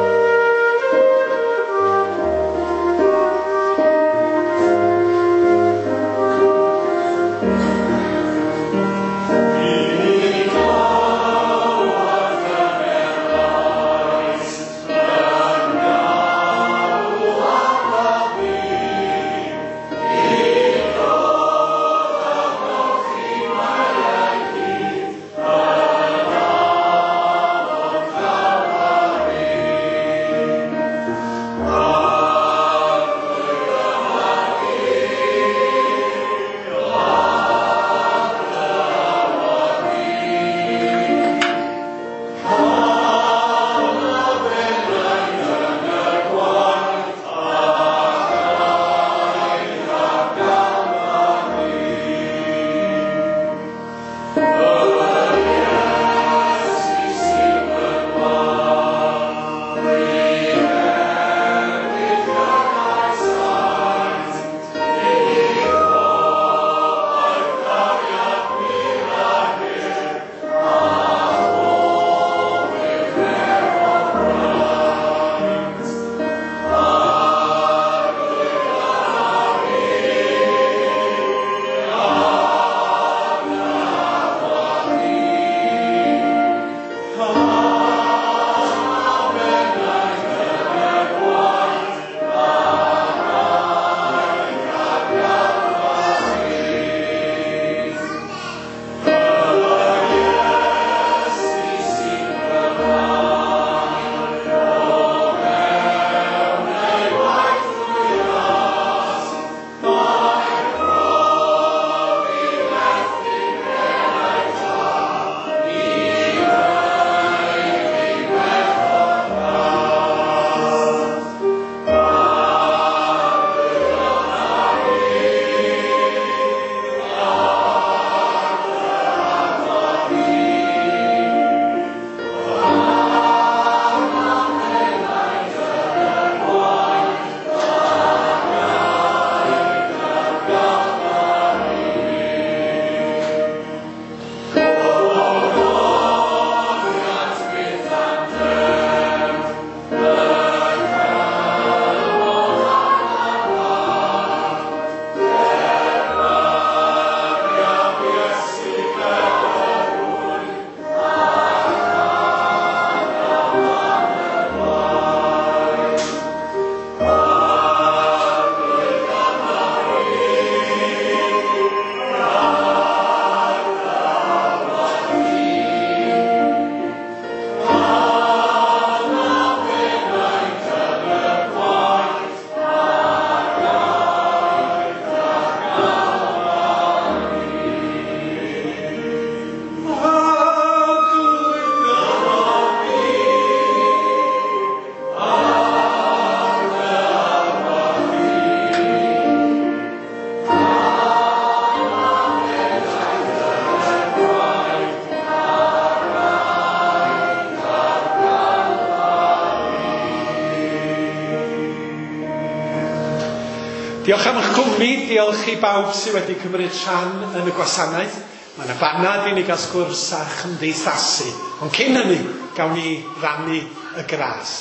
Diolch am eich cwmni, diolch i bawb sydd wedi cymryd rhan yn y gwasanaeth. Mae yna banad i ni gael sgwrs a chymdeithasu. Ond cyn hynny, gawn ni rannu y gras.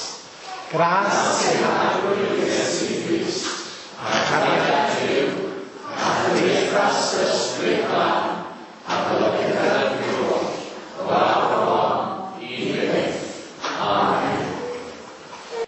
Gras i Iesu Grist a chariad